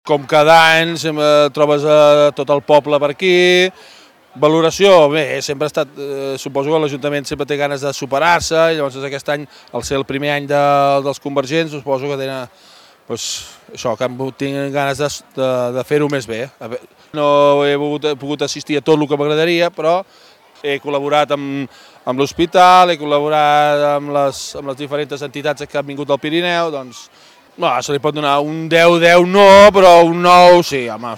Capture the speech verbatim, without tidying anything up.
Com cada any, sempre trobes a tot el poble per aquí. Valoració, bé, sempre ha estat, eh, suposo que l'Ajuntament sempre té ganes de superar-se, i llavors aquest any, al ser el primer any de, dels convergents, suposo que tenen, doncs, això, que han tingut ganes de, de, de fer-ho més bé. No he pogut, he pogut assistir a tot el que m'agradaria, però he col·laborat amb, amb l'hospital, he col·laborat amb les, amb les diferents entitats que han vingut al Pirineu, doncs, no, se li pot donar un deu deu no, però un nou sí, home.